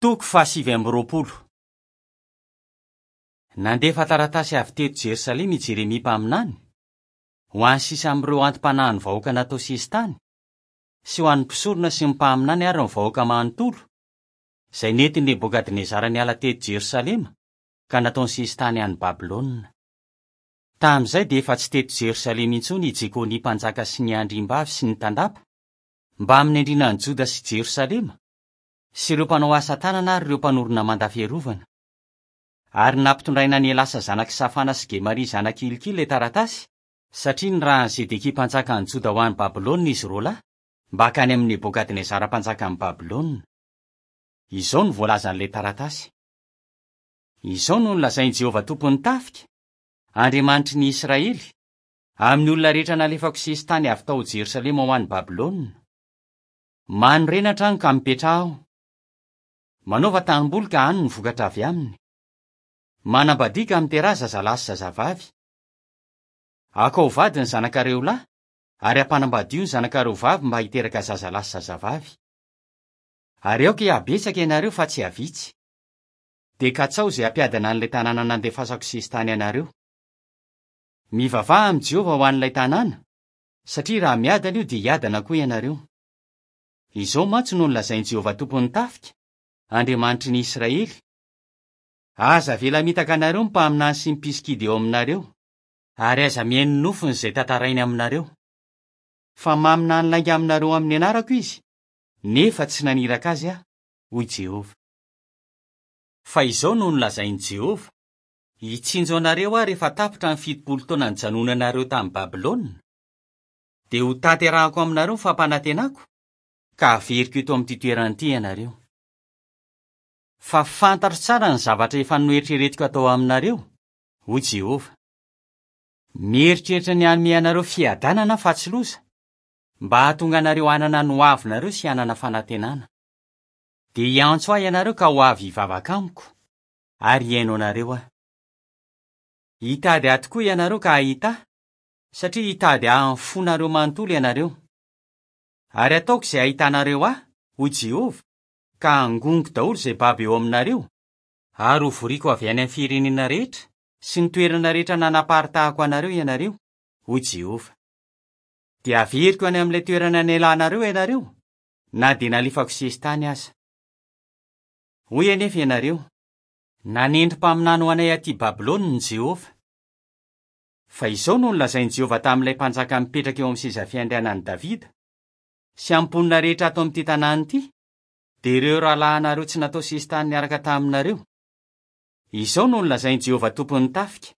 Toko faha-29. Nandefa taratasy avy teto Jerosalema i Jeremia mpaminany, ho an'ny sisa amin'ireo anti-panahin'ny vahoaka natao sesitany, sy ho an'ny mpisorona sy ny mpaminany ary ny vahoaka manontolo, izay nentin'i Nebokadnezara niala teto Jerosalema ka nataony sesitany any Babylona. Tamin'izay dia efa tsy teto Jerosalema intsony i Jekonia mpanjaka sy ny andriambavy sy ny tandapa, mbamin'ny andrianan'i Joda sy Jerosalema, sy ireo mpanao asa tanana ary ireo mpanorina manda fiarovana. Ary nampitondraina an'i Elasa zanak'i Safana sy Gemaria zanak'i Hilkia ilay taratasy, satria nirahan'i Zedekia mpanjakan'i Joda ho any Babylona izy roalahy, mba hankany amin'i Nebokadnezara mpanjakan'i Babylona. Izao no voalazan'ilay taratasy, Izao no nolazain'i Jehovah Tompon'ny tafika, Andriamanitry ny Israely, amin'ny olona rehetra nalefako sesitany avy tao Jerosalema ho any Babylona, Manorena trano ka mipetraha ao. Manaova tanimboly ka hano ny vokatra avy aminy. Manambadia ka miteraha zazalahy sy zazavavy. Akao vady ny zanakareo lahy ary ampanambadio ny zanakareo vavy mba hiteraka zazalahy sy zazavavy. Ary aoka hihabetsaka ianareo fa tsy hihavitsy. Dia katsaho izay hampiadana an'ilay tanàna nandefasako sesitany anareo. Mivavaha amin'i Jehovah ho an'ilay tanàna, satria raha miadana io dia hiadana koa ianareo. Izao mantsy no nolazain'i Jehovah Tompon'ny tafika, Andriamanitry ny Israely, Aza avela hamitaka anareo ny mpaminany sy ny mpisikidy eo aminareo, ary aza mihaino ny nofiny izay tantarainy aminareo. Fa maminany lainga aminareo amin'ny anarako izy, nefa tsy naniraka azy aho, hoy Jehovah. Fa izao no nolazain'i Jehovah, Hitsinjo anareo aho rehefa tapitra ny 70 taona nijanonanareo tany Babylona, dia hotanterahako aminareo ny fampanantenako, ka haveriko eto amin'ity toerana ity ianareo. Fa fantatro tsara ny zavatra efa noeritreretiko hatao aminareo, hoy Jehovah. Mieritreritra ny hanome anareo fiadanana aho fa tsy loza, mba hahatonga anareo hanana ny hoavinareo sy hanana fanantenana. Dia hiantso ahy ianareo ka ho avy hivavaka amiko, ary hihaino anareo aho. Hitady ahy tokoa ianareo ka hahita ahy, satria hitady ahy amin'ny fonareo manontolo ianareo. Ary hataoko izay hahitanareo ahy, hoy Jehovah, ka hangoniko daholo izay babo eo aminareo, ary hovoriko avy any amin'ny firenena rehetra sy ny toerana rehetra nanaparitahako anareo ianareo, hoy Jehovah. Dia haveriko any amin'ilay toerana nialanareo ianareo, na dia nalefako sesitany aza. Hoy anefa ianareo, Nanendry mpaminany ho anay atỳ Babylona i Jehovah. Fa izao no nolazain'i Jehovah tamin'ilay mpanjaka mipetraka eo amin'ny seza fiandrianan'i Davida, sy amin'ny mponina rehetra ato amin'ity tanàna ity, dia ireo rahalahinareo tsy natao sesitany niaraka taminareo, Izao no nolazain'i Jehovah Tompon'ny tafika,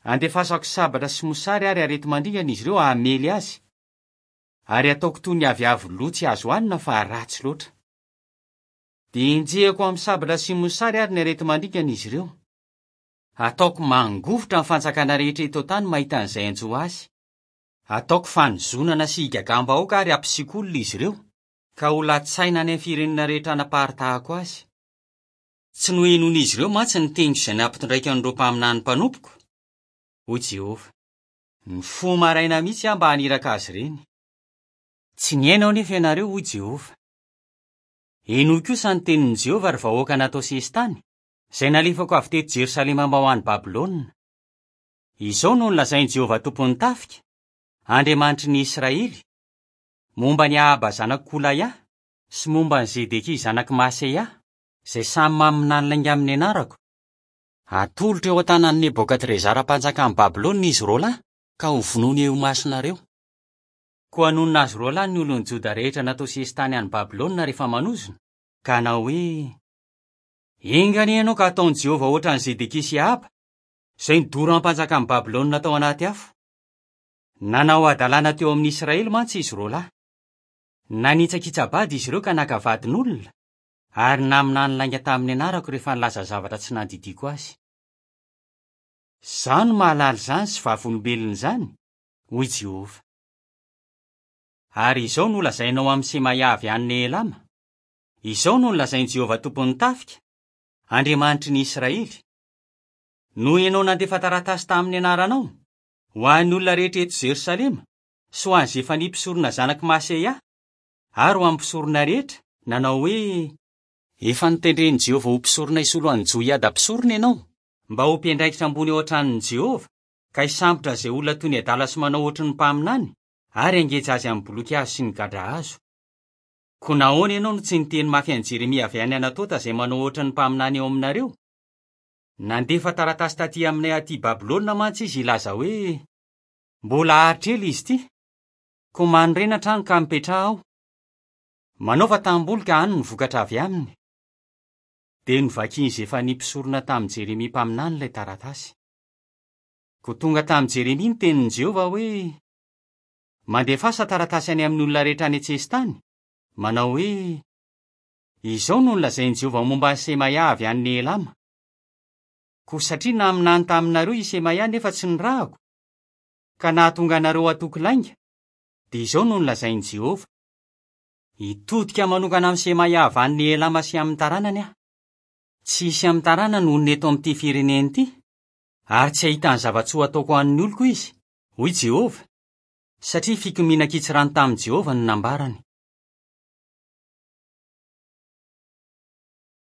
Andefasako sabatra sy mosary ary areti-mandringana izy ireo hamely azy, ary hataoko toy ny aviavy lo tsy azo hanina fa ratsy loatra. Dia henjehiko amin'ny sabatra sy mosary ary ny areti-mandringana izy ireo. Hataoko mangovitra ny fanjakana rehetra eto an-tany mahita an'izay hanjo azy. Hataoko fanozonana sy higagam-bahoaka ary hampisiako olona izy ireo, ka ho latsaina any amin'ny firenena rehetra hanaparitahako azy. Tsy nohenoin'izy ireo mantsy ny teniko izay nampitondraiko an'ireo mpaminany mpanompoko, hoy Jehovah. Nifoha maraina mihitsy aho mba haniraka azy ireny. Tsy nihaino anefa ianareo, hoy Jehovah. Henoy kosa ny tenin'i Jehovah, ry vahoaka natao sesitany, izay nalefako avy teto Jerosalema mba ho any Babylona. Izao no nolazain'i Jehovah Tompon'ny tafika, Andriamanitry ny Israely, momba an'i Ahaba zanak'i Kolaia sy momba an'i Zedekia zanak'i Maseia, izay samy maminany lainga amin'ny anarako, Hatolotra eo an-tanan'i Nebokadrezara mpanjakan'i Babylona izy roalahy, ka hovonoiny eo imasonareo. Koa hanonona azy roalahy ny olon'i Joda rehetra natao sesitany any Babylona rehefa manozona, ka hanao hoe, Enga anie ianao ka hataon'i Jehovah hoatran'i Zedekia sy Ahaba, izay nodoran'ny mpanjakan'i Babylona tao anaty afo. Nanao hadalana teo amin'ny Israely mantsy izy roalahy. Nanitsakitsa-bady izy ireo ka naka vadin'olona, ary naminany lainga tamin'ny anarako rehefa nilaza zavatra tsy nandidiako azy. Izaho no mahalala izany sy vavolombelon'izany, hoy Jehovah. Ary izao no holazainao amin'i Semaia avy any Nehelama, Izao no nolazain'i Jehovah Tompon'ny tafika, Andriamanitry ny Israely, Noho ianao nandefa taratasy tamin'ny anaranao, ho an'ny olona rehetra eto Jerosalema, sy ho an'i Zefania mpisorona zanak'i Maseia, ary ho an'ny mpisorona rehetra, nanao hoe, Efa notendren'i Jehovah ho mpisorona hisolo an'i Joiada mpisorona ianao, mba ho mpiandraikitra ambony ao an-tranon'i Jehovah, ka hisambotra izay olona toy ny adala sy manao hoatry ny mpaminany, ary hangeja azy amin'ny boloky hazo sy ny gadra hazo. Koa nahoana ianao no tsy niteny mafy an'i Jeremia avy any Anatota izay manao hoatry ny mpaminany eo aminareo? Nandefa taratasy tatỳ aminay atỳ Babylona mantsy izy hilaza hoe, 'Mbola haharitra ela izy ity. Koa manorena trano ka mipetraha ao. Manaova tanimboly ka hano ny vokatra avy aminy. Dia novakin'i Zefania mpisorona tamin'i Jeremia mpaminany ilay taratasy. Koa tonga tamin'i Jeremia ny tenin'i Jehovah hoe, Mandefasa taratasy any amin'ny olona rehetra any an-tsesitany, manao hoe, 'Izao no nolazain'i Jehovah momba an'i Semaia avy any Nehelama, Koa satria naminany taminareo i Semaia nefa tsy nirahako, ka nahatonga anareo hatoky lainga, dia izao no nolazain'i Jehovah, Hitodika manokana amin'i Semaia avy any Nehelama sy amin'ny taranany aho. Tsy hisy amin'ny taranany honina eto amin'ity firenena ity, ary tsy hahita ny zava-tsoa hataoko ho an'ny oloko izy, hoy Jehovah, satria fikomiana an-kitsirano tamin'i Jehovah no nambarany.